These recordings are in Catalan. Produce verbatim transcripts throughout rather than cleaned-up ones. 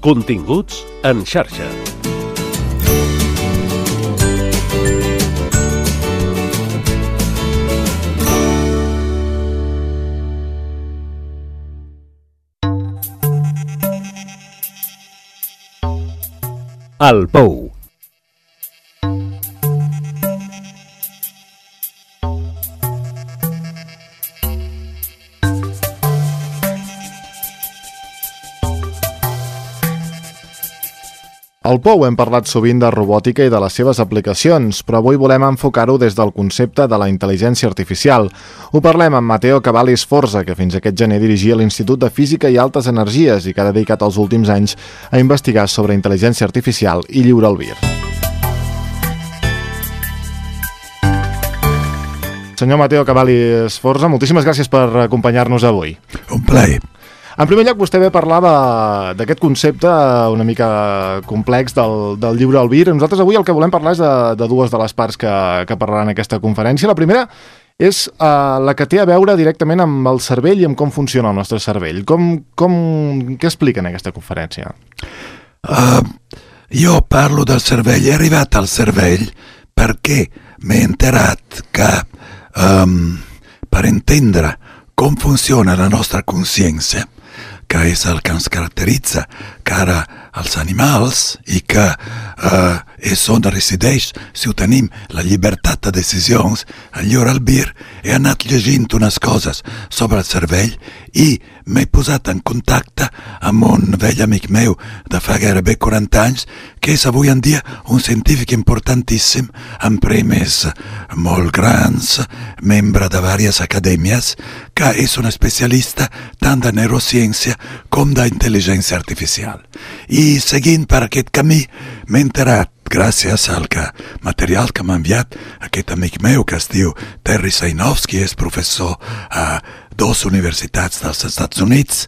Continguts en xarxa. El Pou. Al Pou hem parlat sovint de robòtica i de les seves aplicacions, però avui volem enfocar-ho des del concepte de la intel·ligència artificial. Ho parlem amb Matteo Cavalli Sforza, que fins aquest gener dirigia l'Institut de Física i Altes Energies i que ha dedicat els últims anys a investigar sobre intel·ligència artificial i lliure albir. Senyor Matteo Cavalli Sforza, moltíssimes gràcies per acompanyar-nos avui. Un plaer. En primer lloc, vostè ve a parlar d'aquest concepte una mica complex del, del lliure albir. Nosaltres avui el que volem parlar és de, de dues de les parts que, que parlaran en aquesta conferència. La primera és uh, la que té a veure directament amb el cervell i amb com funciona el nostre cervell. Com, com, què explica en aquesta conferència? Uh, jo parlo del cervell, he arribat al cervell perquè m'he enterat que um, per entendre com funciona la nostra consciència, que és el que ens caracteritza cara als animals i que eh, és on resideix, si ho tenim, la llibertat de decisions, el lliure albir. He anat llegint unes coses sobre el cervell i m'he posat en contacte amb un vell amic meu de fa gairebé quaranta anys, que és avui en dia un científic importantíssim, amb premis molt grans, membre de diverses acadèmies, que és un especialista tant de neurociència com d'intel·ligència artificial. I seguint per aquest camí m'he enterat, gràcies al que, material que m'ha enviat aquest amic meu que es diu Terry Sainovsky, és professor a dues universitats dels Estats Units,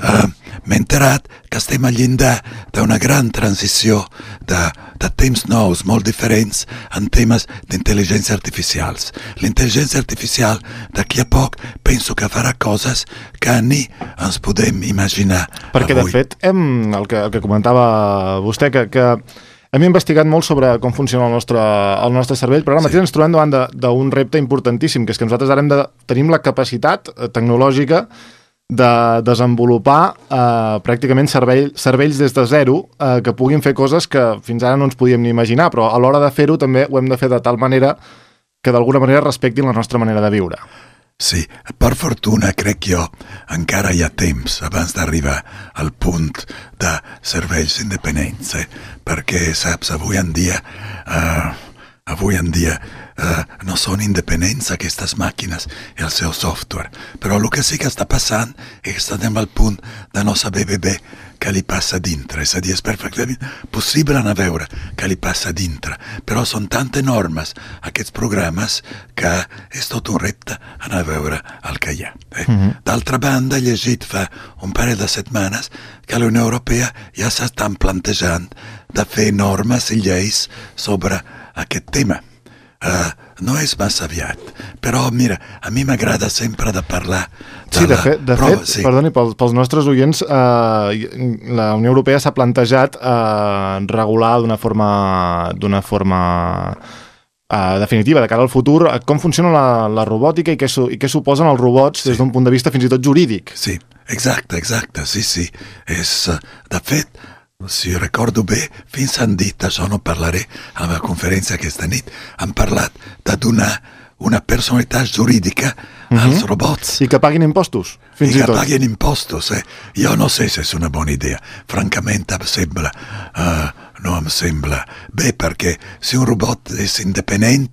eh, m'he enterat que estem al llindar d'una gran transició de, de temps nous, molt diferents en temes d'intel·ligència artificials. L'intel·ligència artificial d'aquí a poc penso que farà coses que ni ens podem imaginar. Perquè avui. De fet, hem, el, que, el que comentava vostè, que, que hem investigat molt sobre com funciona el nostre, el nostre cervell, però ara mateix sí. Ens trobem davant d'un repte importantíssim, que és que nosaltres ara hem de, tenim la capacitat tecnològica de desenvolupar eh, pràcticament cervell, cervells des de zero eh, que puguin fer coses que fins ara no ens podíem ni imaginar, però a l'hora de fer-ho també ho hem de fer de tal manera que d'alguna manera respectin la nostra manera de viure. Sí, per fortuna, crec jo, encara hi ha temps abans d'arribar al punt de cervells independents, eh? Perquè, saps, avui en dia, uh, avui en dia uh, no són independents aquestes màquines i el seu software, però el que sí que està passant és que estem al punt de no saber bé bé què li passa dintre, és a dir, és perfectament possible anar a veure què li passa dintre, però són tan enormes aquests programes que és tot un repte anar a veure el que hi ha. Eh? Mm-hmm. D'altra banda, he llegit fa un parell de setmanes que la Unió Europea ja s'estan plantejant de fer normes i lleis sobre aquest tema. Uh, no és massa aviat, però mira, a mi m'agrada sempre de parlar de sí, de la fet, de prova, fet sí. Perdoni, pels, pels nostres oients, eh, la Unió Europea s'ha plantejat eh, regular d'una forma, d'una forma eh, definitiva de cara al futur com funciona la, la robòtica i què, su, i què suposen els robots sí. Des d'un punt de vista fins i tot jurídic. Sí, exacte, exacte, sí, sí. És, de fet, si recordo bé, fins han dit, això no parlaré a la conferència aquesta nit, han parlat de donar una personalitat jurídica uh-huh. als robots. I que paguin impostos, fins i, I que tot. paguin impostos, eh? Jo no sé si és una bona idea. Francament, em sembla, uh, no em sembla bé, perquè si un robot és independent,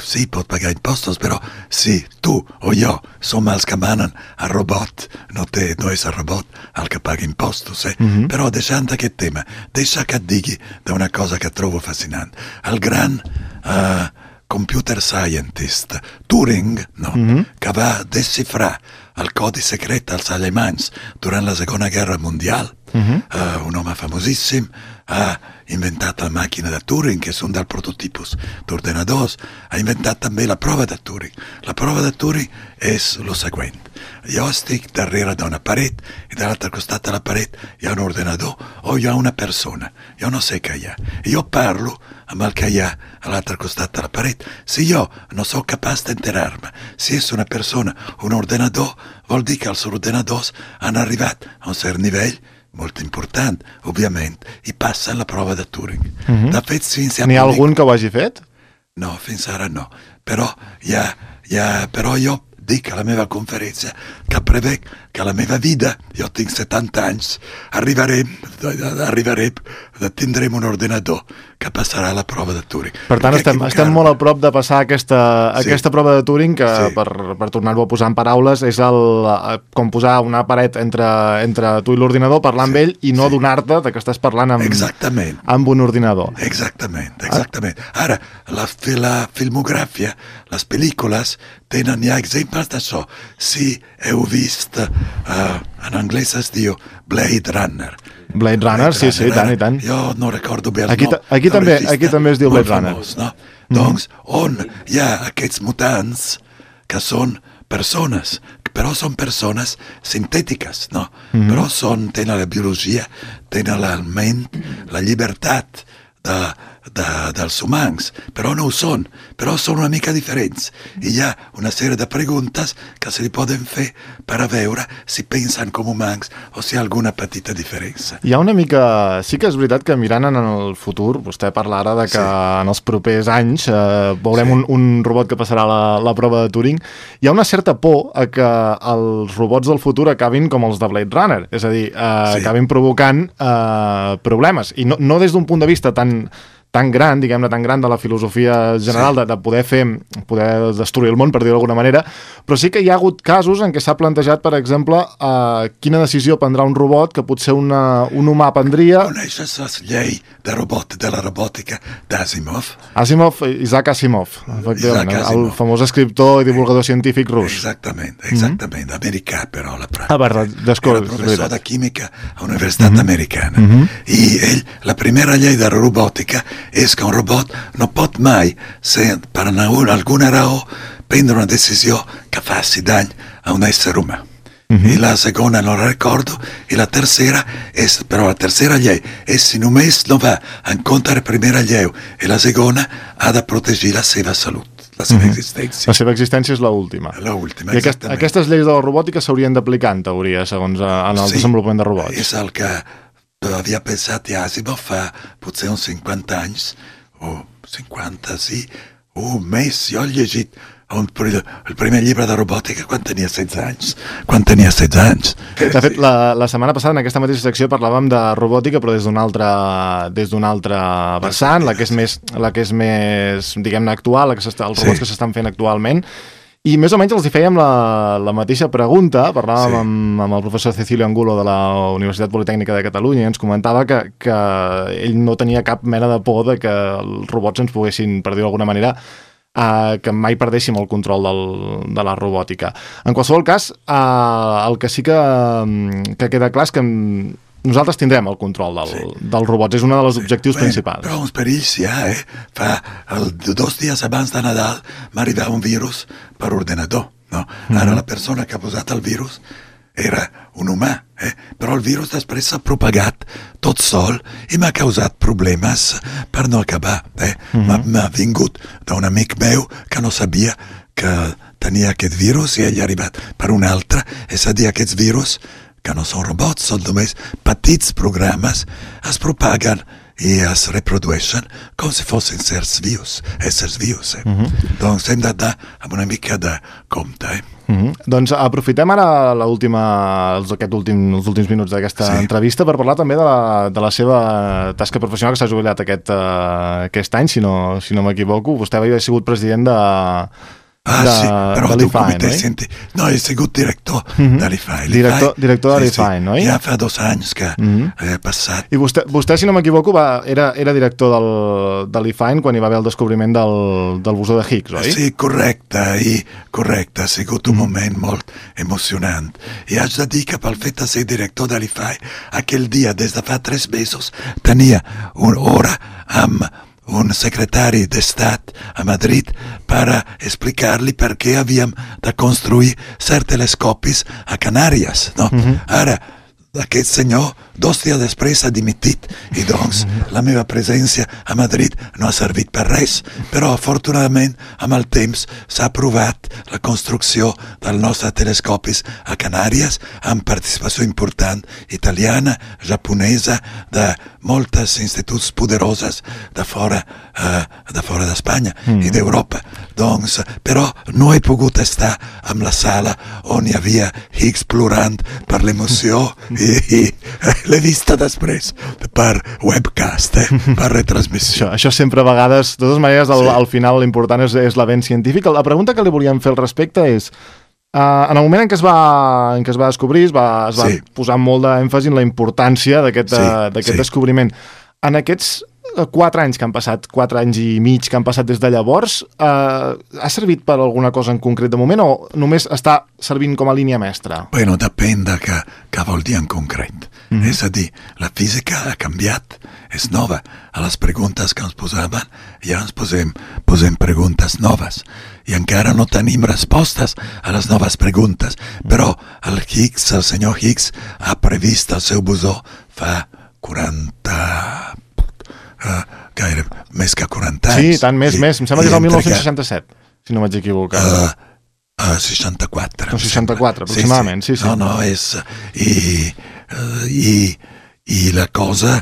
sí, pot pagar impostos, però si tu o jo som els que manen el robot, no, té, no és el robot el que paga impostos, eh? Mm-hmm. Però deixant aquest tema, deixa que et digui d'una cosa que trobo fascinant. El gran uh, computer scientist Turing, no? Mm-hmm. que va desxifrar el codi secret als alemanys durant la Segona Guerra Mundial, Uh-huh. Uh, un home famosíssim ha inventat la màquina de Turing, que és un dels prototipus d'ordenadors. Ha inventat també la prova de Turing. La prova de Turing és el següent. Jo estic darrere d'una paret i de l'altre costat de la paret hi ha un ordenador o hi ha una persona. Jo no sé què hi ha. I jo parlo amb el que hi ha a l'altre costat de la paret. Si jo no sóc capaç d'enterar-me si és una persona o un ordenador, vol dir que els ordenadors han arribat a un cert nivell molt important, òbviament, i passen la prova de Turing. Mm-hmm. De fet, fins a N'hi ha algun que ho hagi fet? No, fins ara no. Però, ja, ja, però jo dic a la meva conferència que prevec que a la meva vida, jo tinc setanta anys, arribarem, arribarem, tindrem un ordenador que passarà la prova de Turing. Per tant, estem, estem molt a prop de passar aquesta, sí. aquesta prova de Turing, que sí. per, per tornar-ho a posar en paraules, és el, com posar una paret entre, entre tu i l'ordinador, parlar sí. amb ell i no sí. donar-te que estàs parlant amb, exactament. amb un ordinador. Exactament, exactament. Ara, la, la filmografia, les pel·lícules, tenen ja exemples d'això. Si heu vist, uh, en anglès es diu Blade Runner. Blade Runner, Blade sí, Runner, sí, tant i tant. Jo no recordo bé el aquí, nom. Aquí també, aquí també es diu Blade Runner. Famós, no? Mm. Doncs, on hi ha aquests mutants que són persones, però són persones sintètiques, no? Mm. Però són, tenen la biologia, tenen la ment, la llibertat de, de, dels humans, però no ho són, però són una mica diferents. I hi ha una sèrie de preguntes que se li poden fer per a veure si pensen com humans o si hi ha alguna petita diferència. Hi ha una mica... Sí que és veritat que mirant en el futur, vostè parla ara de que sí. en els propers anys eh, veurem sí. un, un robot que passarà la, la prova de Turing. Hi ha una certa por a que els robots del futur acabin com els de Blade Runner, és a dir, eh, sí. acabin provocant eh, problemes. I no, no des d'un punt de vista tan tan gran, diguem-ne, tan gran de la filosofia general, sí. de, de poder fer, poder destruir el món, per dir-ho d'alguna manera, però sí que hi ha hagut casos en què s'ha plantejat, per exemple, eh, quina decisió prendrà un robot que potser una, un humà prendria... Coneixes la llei de robot, de la robòtica d'Asimov? Asimov, Isaac Asimov, efectivament, Isaac Asimov. El famós escriptor i divulgador científic rus. Exactament, exactament, mm-hmm. americà, però la pràctica. Ah, verdad, Era professor de química a la Universitat mm-hmm. Americana. Mm-hmm. I ell, la primera llei de la robòtica és que un robot no pot mai, ser, per alguna raó, prendre una decisió que faci dany a un ésser humà. Mm-hmm. I la segona no la recordo, i la tercera és, però la tercera llei és si només no va en contra de la primera llei i la segona ha de protegir la seva salut, la seva mm-hmm. existència. La seva existència és l'última. L'última, I aquest, aquestes lleis de la robòtica s'haurien d'aplicar, en teoria, segons en el sí, desenvolupament de robots. És el que havia pensat ja Asimov fa potser uns cinquanta anys, o cinquanta, sí, o més. Jo he llegit un, el primer llibre de robòtica quan tenia setze anys. Quan tenia setze anys. De fet, sí. la, la setmana passada en aquesta mateixa secció parlàvem de robòtica, però des d'un altre, des d'un altre vessant, la que és més, la que és més diguem-ne, actual, la que els robots sí. que s'estan fent actualment. I més o menys els hi fèiem la, la mateixa pregunta, parlàvem sí. amb, amb el professor Cecilio Angulo de la Universitat Politècnica de Catalunya i ens comentava que, que ell no tenia cap mena de por de que els robots ens poguessin, per dir-ho d'alguna manera, eh, que mai perdéssim el control del, de la robòtica. En qualsevol cas, eh, el que sí que, que queda clar és que nosaltres tindrem el control del, sí. dels robots, és un dels sí. objectius Bé, principals. Però uns perills ja, eh? Fa el, dos dies abans de Nadal m'arribava un virus per ordenador, no? Mm-hmm. Ara la persona que ha posat el virus era un humà, eh? Però el virus després s'ha propagat tot sol i m'ha causat problemes per no acabar, eh? Mm-hmm. M'ha vingut d'un amic meu que no sabia que tenia aquest virus i ell ha arribat per un altre, és a dir, aquests virus que no són robots, són només petits programes, es propaguen i es reprodueixen com si fossin éssers vius, éssers vius. Eh? Mm-hmm. Doncs hem d'anar amb una mica de compte. Eh? Mm-hmm. Doncs aprofitem ara l'última, els, aquest últim, els últims minuts d'aquesta sí. entrevista per parlar també de la, de la seva tasca professional, que s'ha jubilat aquest, uh, aquest any, si no, si no m'equivoco. Vostè havia sigut president de... Ah, de, sí, però de tu l'I F A E, com t'he no? sentit? No, he sigut director Mhm. de l'I F A E. Director- director de l'I F A E, sí, no? Ja fa dos anys que Mhm. he passat. I vostè, vostè si no m'equivoco, va, era, era director del, de l'I F A E quan hi va haver el descobriment del, del bosó de Higgs, oi? Sí, correcte, i correcte, ha sigut un moment molt emocionant. I haig de dir que pel fet de ser director de l'I F A E, aquell dia, des de fa tres mesos, tenia una hora amb un secretari d'Estat a Madrid per explicar-li per què havíem de construir certs telescopis a Canàries. No? Mhm. Ara, aquest senyor, dos dies després, ha dimitit i doncs la meva presència a Madrid no ha servit per res, però afortunadament amb el temps s'ha aprovat la construcció dels nostres telescopis a Canàries amb participació important italiana, japonesa, de moltes instituts poderoses de fora eh, de fora d'Espanya mm. i d'Europa. Doncs, però no he pogut estar en la sala on hi havia Higgs plorant per l'emoció i, i l'he vista després per webcast, eh, per retransmissió. Això, això sempre a vegades, de totes maneres, al, Sí. al final l'important és, és l'avenç científic. La pregunta que li volíem fer al respecte és, uh, en el moment en què es va, en què es va descobrir, es va, es va Sí. posar molt d'èmfasi en la importància d'aquest Sí, uh, d'aquest sí. descobriment. En aquests uh, quatre anys que han passat, quatre anys i mig que han passat des de llavors, uh, ha servit per alguna cosa en concret de moment o només està servint com a línia mestra? Bueno, depèn de què, què vol dir en concret. Mm -hmm. És a dir, la física ha canviat, és nova. A les preguntes que ens posaven ja ens posem, posem preguntes noves i encara no tenim respostes a les noves preguntes, però el Higgs, el senyor Higgs, ha previst el seu bosó fa quaranta... Uh, gaire, més que quaranta anys. Sí, tant, més, I, més. Em sembla que és i el entre dinou seixanta-set, si no vaig equivocar. Uh, uh, seixanta-quatre. No, seixanta-quatre, aproximadament, sí, sí. No, no, és... I, uh, i, i la cosa...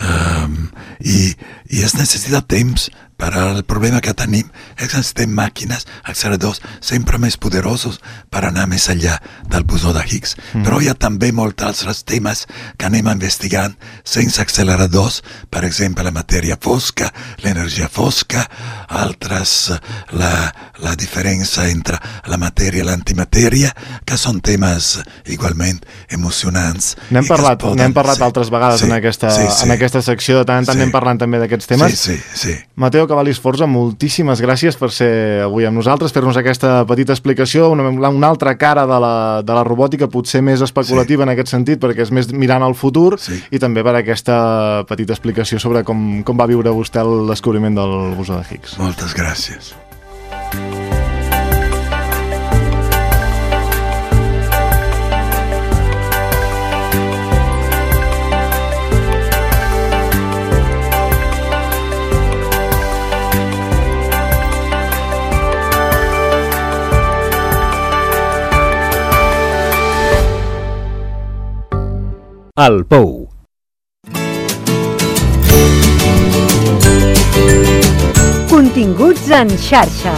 Um, i, i es necessita temps per al problema que tenim és que necessitem màquines, acceleradors sempre més poderosos per anar més enllà del bosó de Higgs. Mm. Però hi ha també molts altres temes que anem investigant sense acceleradors, per exemple la matèria fosca, l'energia fosca, altres la, la diferència entre la matèria i l'antimatèria, que són temes igualment emocionants. N'hem parlat, poden, n'hem parlat sí, altres vegades sí, en, aquesta, sí, sí. en aquesta secció, de tant en tant Sí. anem parlant també d'aquests temes. Sí, sí, sí. Mateo Cavalli Sforza, moltíssimes gràcies per ser avui amb nosaltres, fer-nos aquesta petita explicació, una, una altra cara de la, de la robòtica, potser més especulativa sí. en aquest sentit, perquè és més mirant al futur, Sí. i també per aquesta petita explicació sobre com, com va viure vostè el descobriment del bosó de Higgs. Moltes gràcies. El Pou. Continguts en xarxa.